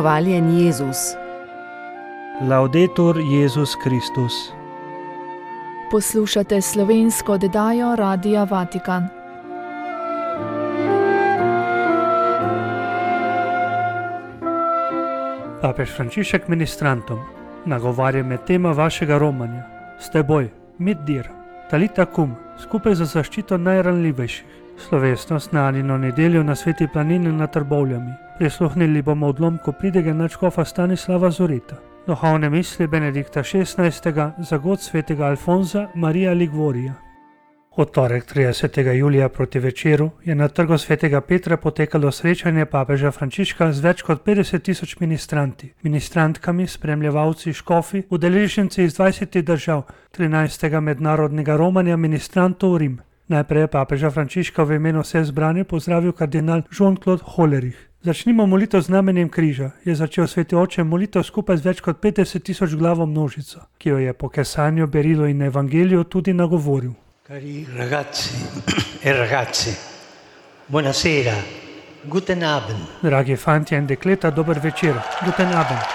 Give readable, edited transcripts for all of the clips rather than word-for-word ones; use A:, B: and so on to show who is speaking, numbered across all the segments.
A: Hvaljen Jezus.
B: Laudetur Jezus Kristus.
C: Poslušate slovensko oddajo Radia Vatikan.
B: Papež Frančišek ministrantom nagovarja med tema vašega romanja: s teboj, mit dir, talita cum, skupaj za zaščito najranljivejših. Slovesnost na Anino nedeljo na Sveti planini nad Trbovljami. Prisluhnili bomo odlomku pridige nadškofa Stanislava Zoreta. Duhovne misli Benedikta XVI. Za god svetega Alfonza Maria Ligvorija. V torek 30. julija proti večeru je na trgu svetega Petra potekalo srečanje papeža Frančiška z več kot 50.000 ministranti, ministrantkami, spremljevalci, škofi, udeleženci iz 20 držav, 13. mednarodnega romanja ministrantov v Rim. Najprej je papeža Frančiška v imenu vse zbrane pozdravil kardinal Jean-Claude Hollerich. Začnimo molitev z znamenjem križa, je začel sveti oče molitev skupaj z več kot 50.000 glavo množico, ki jo je po kesanju, berilu in evangeliju tudi nagovoril.
D: Cari ragazzi e ragazze, buonasera, guten Abend.
B: Dragi fantje in dekleta, dober večer, guten Abend.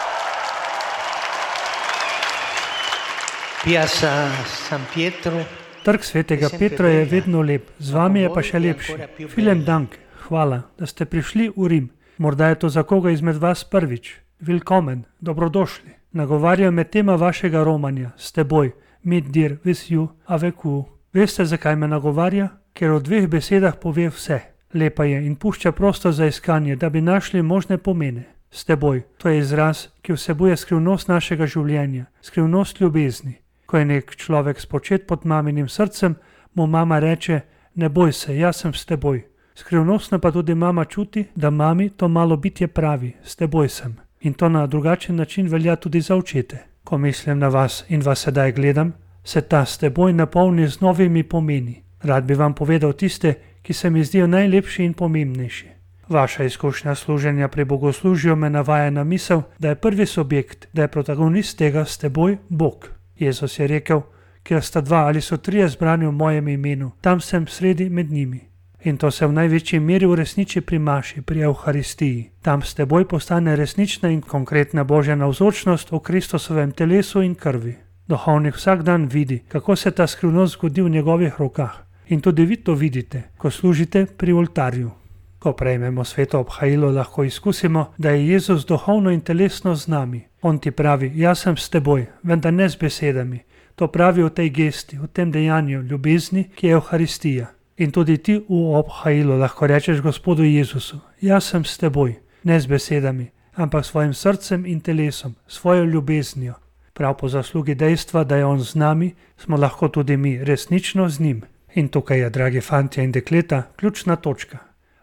D: Piazza San Pietro.
B: Trg svetega Petra je vedno lep, z vami je pa še lepši. Vielen Dank, hvala, da ste prišli v Rim. Morda je to za koga izmed vas prvič. Willkommen, dobrodošli. Nagovarjam med tema vašega romanja, s teboj, mit dir, with you, avec vous. Veste, zakaj me nagovarja? Ker v dveh besedah pove vse. Lepa je in pušča prostor za iskanje, da bi našli možne pomene. S teboj, to je izraz, ki vsebuje skrivnost našega življenja, skrivnost ljubezni. Ko je nek človek spočet pod maminim srcem, mu mama reče: ne boj se, jaz sem s teboj. Skrivnostno pa tudi mama čuti, da mami to malo bitje pravi: s teboj sem. In to na drugačen način velja tudi za očete. Ko mislim na vas in vas sedaj gledam, se ta s teboj napolni z novimi pomeni. Rad bi vam povedal tiste, ki se mi zdijo najlepši in pomembnejši. Vaša izkušnja služenja pri bogoslužju me navaja na misel, da je prvi subjekt, da je protagonist tega s teboj Bog. Jezus je rekel: kjer sta dva ali so trije zbrani v mojem imenu, tam sem sredi med njimi. In to se v največji meri uresniči pri maši, pri Evharistiji. Tam s teboj postane resnična in konkretna Božja navzočnost v Kristusovem telesu in krvi. Duhovnik vsak dan vidi, kako se ta skrivnost zgodi v njegovih rokah. In tudi vi to vidite, ko služite pri oltarju. Ko prejmemo sveto obhajilo, lahko izkusimo, da je Jezus duhovno in telesno z nami. On ti pravi: jaz sem s teboj, vendar ne z besedami. To pravi v tej gesti, v tem dejanju ljubezni, ki je Evharistija. In tudi ti v obhajilu lahko rečeš Gospodu Jezusu: jaz sem s teboj, ne z besedami, ampak s svojim srcem in telesom, svojo ljubeznijo. Prav po zaslugi dejstva, da je on z nami, smo lahko tudi mi resnično z njim. In tukaj je, dragi fantje in dekleta, ključna točka.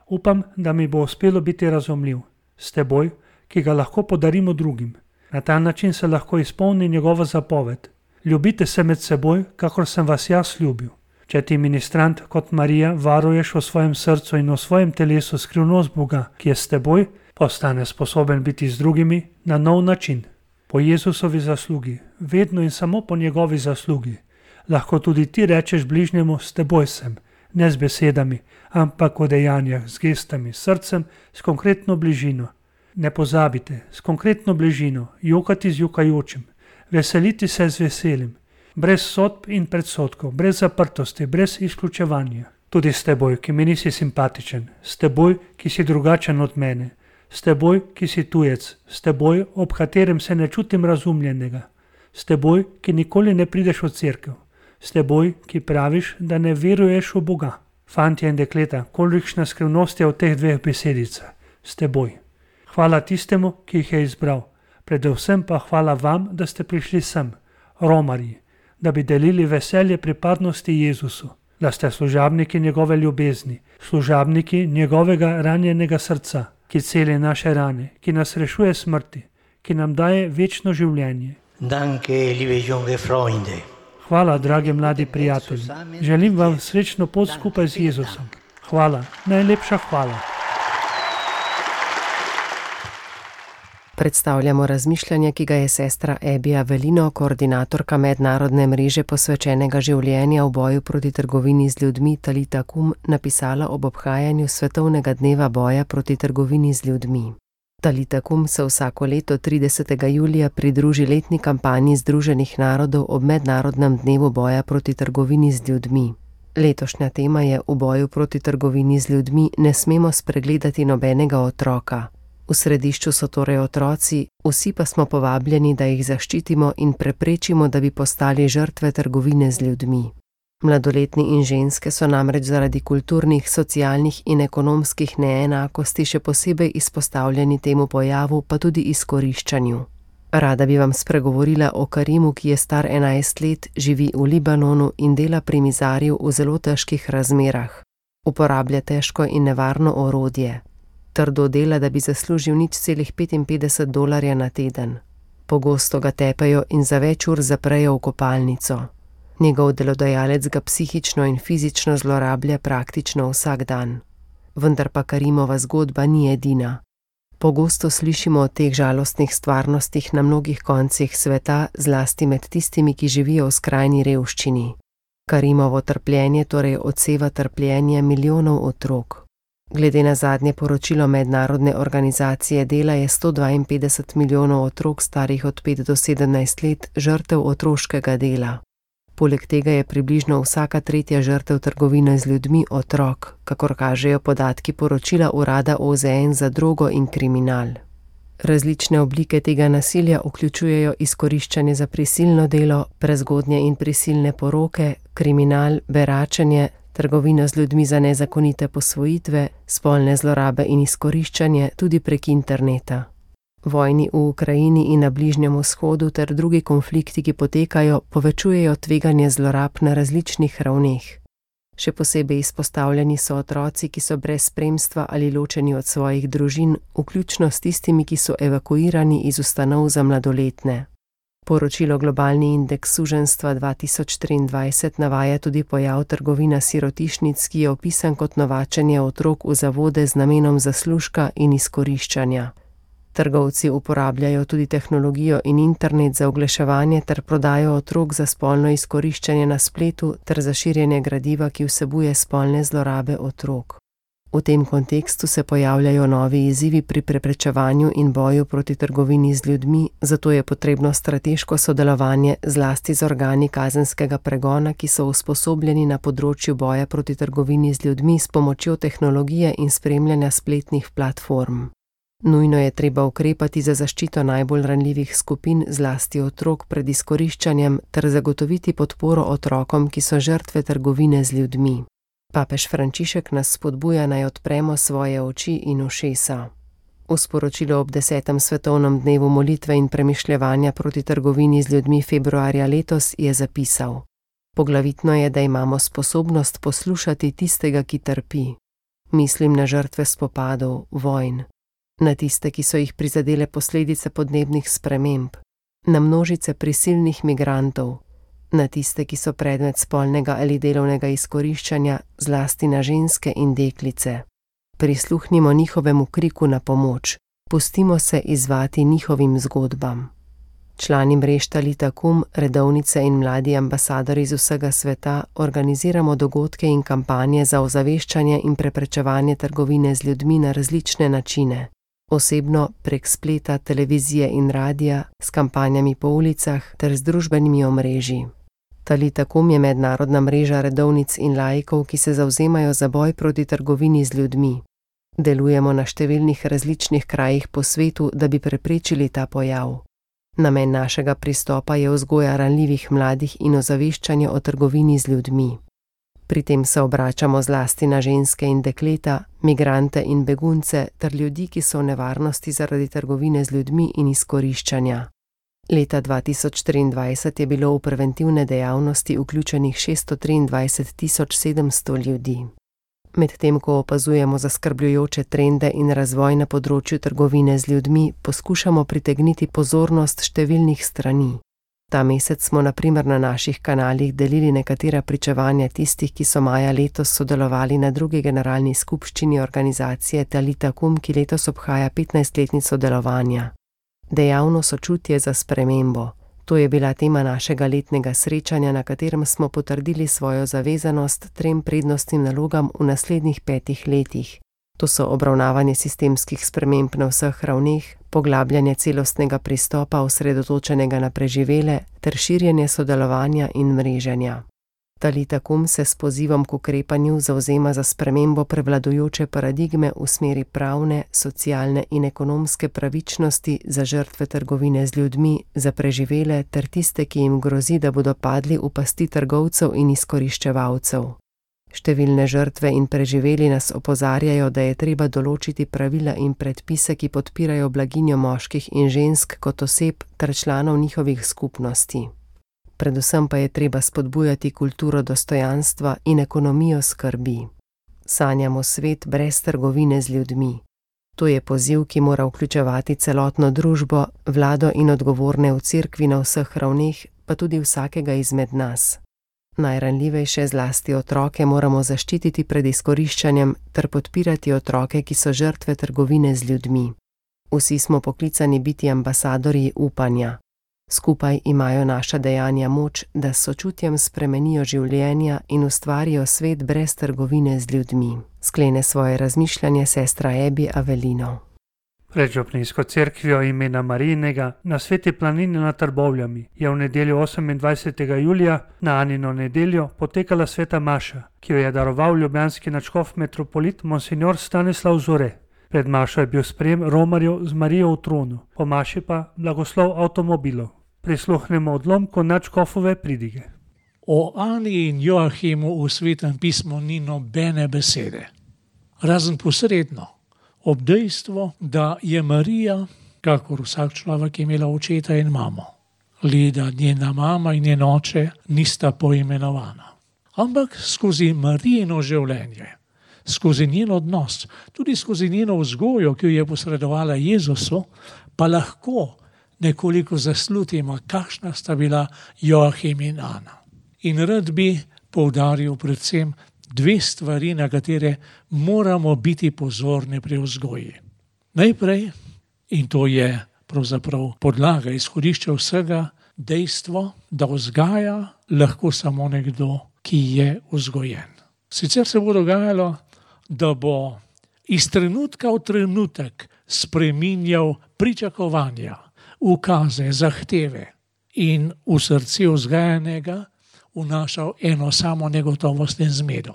B: Upam, da mi bo uspelo biti razumljiv. S teboj, ki ga lahko podarimo drugim. Na ta način se lahko izpolni njegova zapoved: ljubite se med seboj, kakor sem vas jaz ljubil. Če ti ministrant kot Marija varuješ v svojem srcu in v svojem telesu skrivnost Boga, ki je s teboj, postane sposoben biti z drugimi na nov način. Po Jezusovi zaslugi, vedno in samo po njegovi zaslugi, lahko tudi ti rečeš bližnjemu: s teboj sem, ne z besedami, ampak v dejanjah, z gestami, s srcem, s konkretno bližino. Ne pozabite, s konkretno bližino, jokati z jokajočim, veseliti se z veselim, brez sodb in predsodkov, brez zaprtosti, brez izključevanja. Tudi s teboj, ki mi nisi simpatičen, s teboj, ki si drugačen od mene, s teboj, ki si tujec, s teboj, ob katerem se ne čutim razumljenega, s teboj, ki nikoli ne prideš v cerkev, s teboj, ki praviš, da ne veruješ v Boga. Fantje in dekleta, kolikšna skrivnost je v teh dveh besedicah: s teboj. Hvala tistemu, ki jih je izbral, predvsem pa hvala vam, da ste prišli sem, romarji, da bi delili veselje pripadnosti Jezusu, da ste služabniki njegove ljubezni, služabniki njegovega ranjenega srca, ki celi naše rane, ki nas rešuje smrti, ki nam daje večno življenje.
D: Danke, liebe junge Freunde.
B: Hvala, dragi mladi prijatelji. Želim vam srečno pot skupaj z Jezusom. Hvala, najlepša hvala.
A: Predstavljamo razmišljanje, ki ga je sestra Ebi Avelino, koordinatorka mednarodne mreže posvečenega življenja v boju proti trgovini z ljudmi Talita Cum, napisala ob obhajanju svetovnega dneva boja proti trgovini z ljudmi. Talita Kum se vsako leto 30. julija pridruži letni kampanji Združenih narodov ob mednarodnem dnevu boja proti trgovini z ljudmi. Letošnja tema je: v boju proti trgovini z ljudmi ne smemo spregledati nobenega otroka. V središču so torej otroci, vsi pa smo povabljeni, da jih zaščitimo in preprečimo, da bi postali žrtve trgovine z ljudmi. Mladoletni in ženske so namreč zaradi kulturnih, socialnih in ekonomskih neenakosti še posebej izpostavljeni temu pojavu, pa tudi izkoriščanju. Rada bi vam spregovorila o Karimu, ki je star 11 let, živi v Libanonu in dela pri mizarju v zelo težkih razmerah. Uporablja težko in nevarno orodje. Trdo dela, da bi zaslužil $0,55 na teden. Pogosto ga tepejo in za več ur zaprejo v kopalnico. Njegov delodajalec ga psihično in fizično zlorablja praktično vsak dan. Vendar pa Karimova zgodba ni edina. Pogosto slišimo o teh žalostnih stvarnostih na mnogih koncih sveta, zlasti med tistimi, ki živijo v skrajni revščini. Karimovo trpljenje torej odseva trpljenje milijonov otrok. Glede na zadnje poročilo Mednarodne organizacije dela je 152 milijonov otrok starih od 5 do 17 let žrtev otroškega dela. Poleg tega je približno vsaka tretja žrtev trgovine z ljudmi otrok, kakor kažejo podatki poročila Urada OZN za drogo in kriminal. Različne oblike tega nasilja vključujejo izkoriščanje za prisilno delo, prezgodnje in prisilne poroke, kriminal, beračenje, trgovino z ljudmi za nezakonite posvojitve, spolne zlorabe in izkoriščanje tudi prek interneta. Vojni v Ukrajini in na Bližnjem vzhodu ter drugi konflikti, ki potekajo, povečujejo tveganje zlorab na različnih ravneh. Še posebej izpostavljeni so otroci, ki so brez spremstva ali ločeni od svojih družin, vključno s tistimi, ki so evakuirani iz ustanov za mladoletne. Poročilo Globalni indeks suženjstva 2023 navaja tudi pojav trgovina sirotišnic, ki je opisan kot novačenje otrok v zavode z namenom zaslužka in izkoriščanja. Trgovci uporabljajo tudi tehnologijo in internet za oglaševanje ter prodajo otrok za spolno izkoriščanje na spletu ter za širjenje gradiva, ki vsebuje spolne zlorabe otrok. V tem kontekstu se pojavljajo novi izzivi pri preprečevanju in boju proti trgovini z ljudmi, zato je potrebno strateško sodelovanje zlasti z organi kazenskega pregona, ki so usposobljeni na področju boja proti trgovini z ljudmi s pomočjo tehnologije in spremljanja spletnih platform. Nujno je treba ukrepati za zaščito najbolj ranljivih skupin, zlasti otrok, pred izkoriščanjem ter zagotoviti podporo otrokom, ki so žrtve trgovine z ljudmi. Papež Frančišek nas spodbuja, naj odpremo svoje oči in ušesa. V sporočilu ob 10. svetovnem dnevu molitve in premišljevanja proti trgovini z ljudmi februarja letos je zapisal: Poglavitno je, da imamo sposobnost poslušati tistega, ki trpi. Mislim na žrtve spopadov, vojn, na tiste, ki so jih prizadele posledice podnebnih sprememb, na množice prisilnih migrantov, na tiste, ki so predmet spolnega ali delovnega izkoriščanja, zlasti na ženske in deklice. Prisluhnimo njihovemu kriku na pomoč, pustimo se izzvati njihovim zgodbam. Člani mrež Talita Kum, redovnice in mladi ambasadorji iz vsega sveta organiziramo dogodke in kampanje za ozaveščanje in preprečevanje trgovine z ljudmi na različne načine. Osebno prek spleta, televizije in radija, s kampanjami po ulicah ter z družbenimi omrežji. Talita Kum je mednarodna mreža redovnic in laikov, ki se zavzemajo za boj proti trgovini z ljudmi. Delujemo na številnih različnih krajih po svetu, da bi preprečili ta pojav. Namen našega pristopa je vzgoja ranljivih mladih in ozaveščanje o trgovini z ljudmi. Pri tem se obračamo zlasti na ženske in dekleta, migrante in begunce ter ljudi, ki so v nevarnosti zaradi trgovine z ljudmi in izkoriščanja. Leta 2023 je bilo v preventivne dejavnosti vključenih 623.700 ljudi. Medtem ko opazujemo zaskrbljujoče trende in razvoj na področju trgovine z ljudmi, poskušamo pritegniti pozornost številnih strani. Ta mesec smo na primer na naših kanalih delili nekatera pričevanja tistih, ki so maja letos sodelovali na drugi generalni skupščini organizacije Talita Kum, ki letos obhaja 15-letnico delovanja. Dejavno sočutje za spremembo. To je bila tema našega letnega srečanja, na katerem smo potrdili svojo zavezanost 3 prednostnim nalogam v naslednjih 5 letih. To so obravnavanje sistemskih sprememb na vseh ravneh, poglabljanje celostnega pristopa osredotočenega na preživele ter širjenje sodelovanja in mreženja. Talita Kum se s pozivom k ukrepanju zavzema za spremembo prevladujoče paradigme v smeri pravne, socialne in ekonomske pravičnosti za žrtve trgovine z ljudmi, za preživele ter tiste, ki jim grozi, da bodo padli v pasti trgovcev in izkoriščevalcev. Številne žrtve in preživeli nas opozarjajo, da je treba določiti pravila in predpise, ki podpirajo blaginjo moških in žensk kot oseb ter članov njihovih skupnosti. Predvsem pa je treba spodbujati kulturo dostojanstva in ekonomijo skrbi. Sanjamo svet brez trgovine z ljudmi. To je poziv, ki mora vključevati celotno družbo, vlado in odgovorne v cerkvi na vseh ravneh, pa tudi vsakega izmed nas. Najranljivejše, zlasti otroke, moramo zaščititi pred izkoriščanjem ter podpirati otroke, ki so žrtve trgovine z ljudmi. Vsi smo poklicani biti ambasadorji upanja. Skupaj imajo naša dejanja moč, da s sočutjem spremenijo življenja in ustvarijo svet brez trgovine z ljudmi. Sklene svoje razmišljanje sestra Ebi Avelino.
B: Pred župnijsko cerkvijo imena Marijinega na Sveti planini nad Trbovljami je v nedeljo 28. julija na Anino nedeljo potekala sveta maša, ki jo je daroval ljubljanski nadškof metropolit monsignor Stanislav Zore. Pred mašo je bil sprejem romarjev z Marijo v tronu, po maši pa blagoslov avtomobilov. Prisluhnemo odlomku nadškofove pridige.
E: O Ani in Joachimu v Svetem pismu ni nobene besede, razen posredno, ob dejstvu, da je Marija, kakor vsak človek, imela očeta in mamo, le da njena mama in njen oče nista poimenovana. Ampak skozi Marijino življenje, skozi njen odnos, tudi skozi njeno vzgojo, ki jo je posredovala Jezusu, pa lahko nekoliko zaslutimo, kakšna sta bila Joachim in Ana. In rad bi poudaril predvsem dve stvari, na katere moramo biti pozorni pri vzgoji. Najprej, in to je pravzaprav podlaga, izhodišče vsega, dejstvo, da vzgaja lahko samo nekdo, ki je vzgojen. Sicer se bo dogajalo, da bo iz trenutka v trenutek spreminjal pričakovanja, ukaze, zahteve in v srce vzgajanega vnašal eno samo negotovost in zmedo.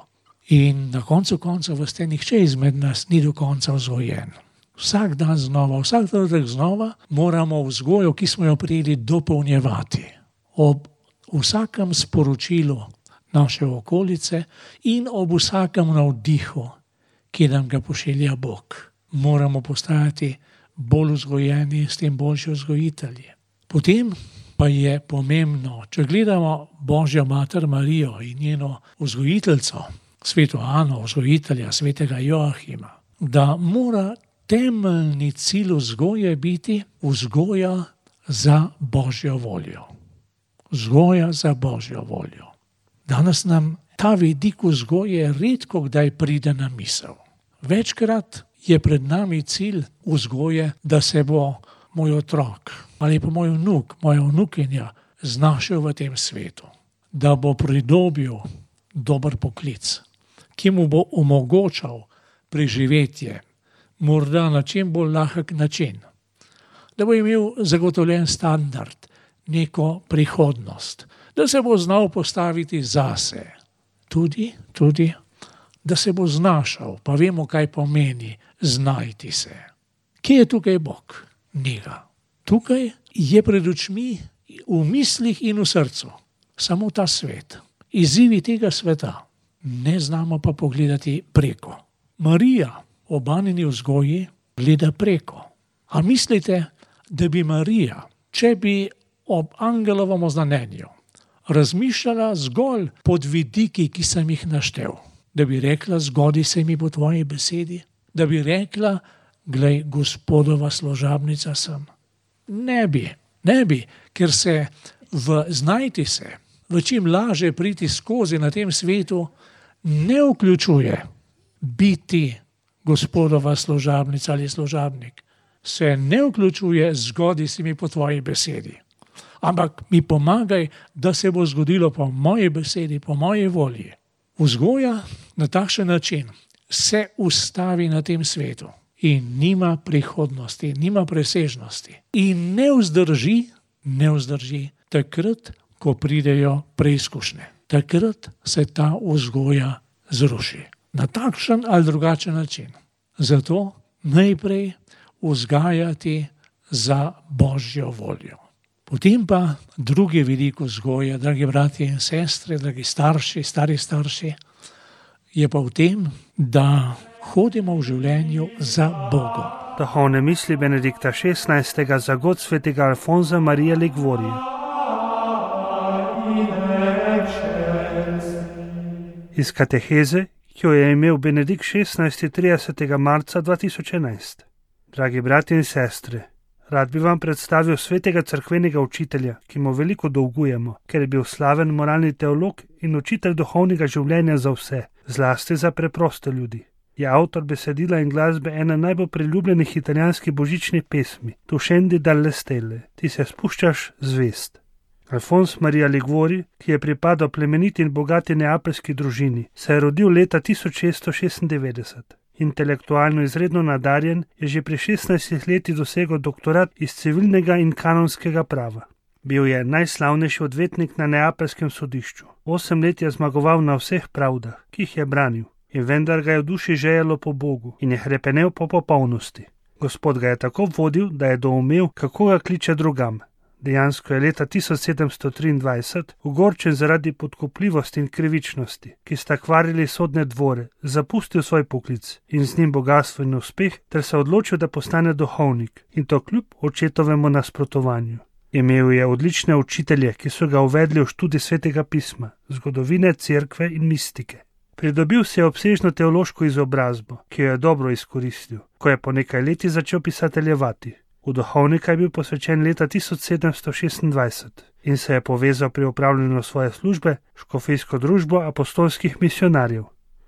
E: In na koncu koncev nihče izmed nas ni do konca vzgojen. Vsak dan znova, vsak trenutek znova moramo vzgojo, ki smo jo prijeli, dopolnjevati. Ob vsakem sporočilu naše okolice in ob vsakem navdihu, ki nam ga pošilja Bog. Moramo postajati bolj vzgojeni, s tem boljši vzgojitelji. Potem pa je pomembno, če gledamo Božjo mater Marijo in njeno vzgojiteljico, sveto Ano, vzgojitelja svetega Joachima, da mora temeljni cilj vzgoje biti vzgoja za Božjo voljo. Vzgoja za Božjo voljo. Danes nam ta vidik vzgoje redko kdaj pride na misel. Večkrat je pred nami cilj vzgoje, da se bo moj otrok ali pa moj vnuk, moja vnukinja znašel v tem svetu. Da bo pridobil dober poklic, ki mu bo omogočal preživetje, morda na čim bolj lahek način. Da bo imel zagotovljen standard, neko prihodnost, da se bo znal postaviti zase. Tudi, da se bo znašel, pa vemo, kaj pomeni znajti se. Kje je tukaj Bog? Njega. Tukaj je pred očmi, v mislih in v srcu samo ta svet. Izzivi tega sveta ne znamo pa pogledati preko. Marija ob Anini vzgoji gleda preko. A mislite, da bi Marija, če bi ob angelovem oznanjenju razmišljala zgolj pod vidiki, ki sem jih naštel, da bi rekla, zgodi se mi po tvoji besedi, da bi rekla, glej, Gospodova služabnica sem. Ne bi, ker se v znajti se, v čim laže priti skozi na tem svetu, ne vključuje biti Gospodova služabnica ali služabnik. Se ne vključuje, zgodi se mi po tvoji besedi. Ampak mi pomagaj, da se bo zgodilo po moji besedi, po moji volji. Vzgoja na takšen način se ustavi na tem svetu in nima prihodnosti, nima presežnosti in ne vzdrži takrat, ko pridejo preizkušnje. Takrat se ta vzgoja zruši. Na takšen ali drugačen način. Zato najprej vzgajati za Božjo voljo. Potem pa drugi vidik vzgoje, dragi bratje in sestre, dragi starši, stari starši, je pa v tem, da hodimo v življenju za Bogom.
B: Duhovne misli Benedikta XVI. Za god svetega Alfonza Marija Liguorija. Iz kateheze, ki jo je imel Benedikt XVI. 30. marca 2011. Dragi bratje in sestre, rad bi vam predstavil svetega cerkvenega učitelja, ki mu veliko dolgujemo, ker je bil slaven moralni teolog in učitelj duhovnega življenja za vse, zlasti za preproste ljudi. Je avtor besedila in glasbe ena najbolj priljubljenih italijanskih božičnih pesmi, Tu scendi dalle stelle, ti se spuščaš zvest. Alfons Marija Liguori, ki je pripadal plemeniti in bogati neapeljski družini, se je rodil leta 1696. Intelektualno izredno nadarjen, je že pri 16 letih dosegel doktorat iz civilnega in kanonskega prava. Bil je najslavnejši odvetnik na neapeljskem sodišču. 8 let je zmagoval na vseh pravdah, ki jih je branil, in vendar ga je v duši žejalo po Bogu in je hrepenel po popolnosti. Gospod ga je tako vodil, da je doumel, kako ga kliče drugam. Dejansko je leta 1723 ogorčen zaradi podkupljivosti in krivičnosti, ki sta kvarili sodne dvore, zapustil svoj poklic in z njim bogastvo in uspeh, ter se odločil, da postane duhovnik, in to kljub očetovemu nasprotovanju. Imel je odlične učitelje, ki so ga uvedli v študij svetega pisma, zgodovine, cerkve in mistike. Pridobil si je obsežno teološko izobrazbo, ki jo je dobro izkoristil, ko je po nekaj letih začel pisateljevati. V duhovnika je bil posvečen leta 1726 in se je povezal pri opravljanju svoje službe škofijsko družbo apostolskih misionarjev.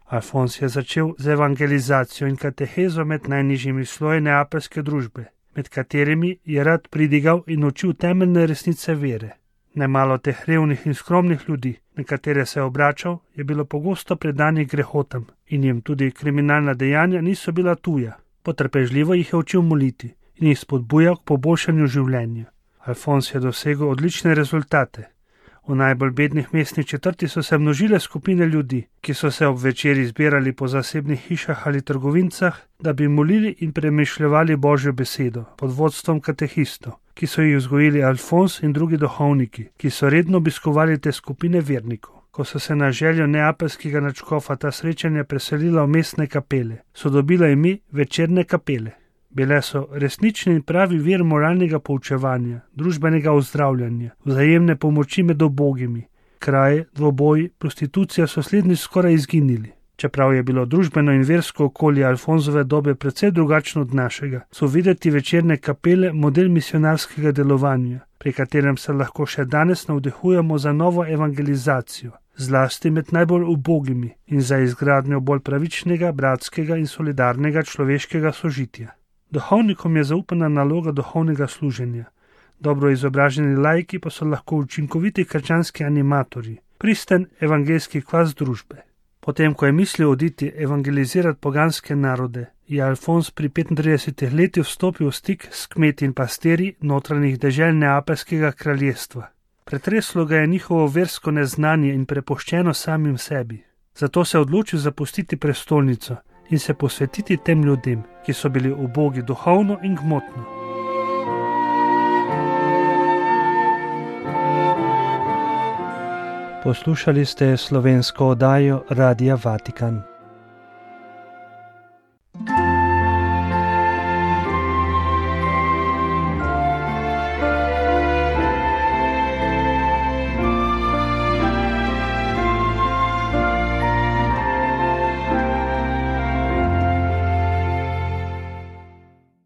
B: Alfons je začel z evangelizacijo in katehezo med najnižjimi sloji neapeljske družbe, med katerimi je rad pridigal in učil temeljne resnice vere. Nemalo teh revnih in skromnih ljudi, na katere se je obračal, je bilo pogosto predanih grehotam in jim tudi kriminalna dejanja niso bila tuja. Potrpežljivo jih je učil moliti in jih spodbujal k poboljšanju življenja. Alfons je dosegel odlične rezultate. V najbolj bednih mestnih četrti so se množile skupine ljudi, ki so se ob večeri zbirali po zasebnih hišah ali trgovincah, da bi molili in premišljevali Božjo besedo pod vodstvom katehistov, ki so jih vzgojili Alfons in drugi duhovniki, ki so redno obiskovali te skupine vernikov. Ko so se na željo neapeljskega nadškofa ta srečanja preselila v mestne kapele, so dobila ime večerne kapele. Bile so resnični in pravi vir moralnega poučevanja, družbenega ozdravljanja, vzajemne pomoči med ubogimi. Kraje, dvoboji, prostitucija so slednji skoraj izginili. Čeprav je bilo družbeno in versko okolje Alfonzove dobe precej drugačno od našega, so videti večerne kapele model misionarskega delovanja, pri katerem se lahko še danes navdihujemo za novo evangelizacijo, zlasti med najbolj ubogimi in za izgradnjo bolj pravičnega, bratskega in solidarnega človeškega sožitja. Duhovnikom je zaupana naloga duhovnega služenja. Dobro izobraženi laiki pa so lahko učinkoviti krščanski animatorji, pristen evangeljski kvas družbe. Potem, ko je mislil oditi evangelizirati poganske narode, je Alfons pri 35 letih vstopil v stik s kmeti in pastirji notranjih dežel neapeljskega kraljestva. Pretreslo ga je njihovo versko neznanje in prepuščeno samim sebi. Zato se je odločil zapustiti prestolnico in se posvetiti tem ljudem, ki so bili ubogi duhovno in gmotno. Poslušali ste slovensko oddajo Radia Vatikan.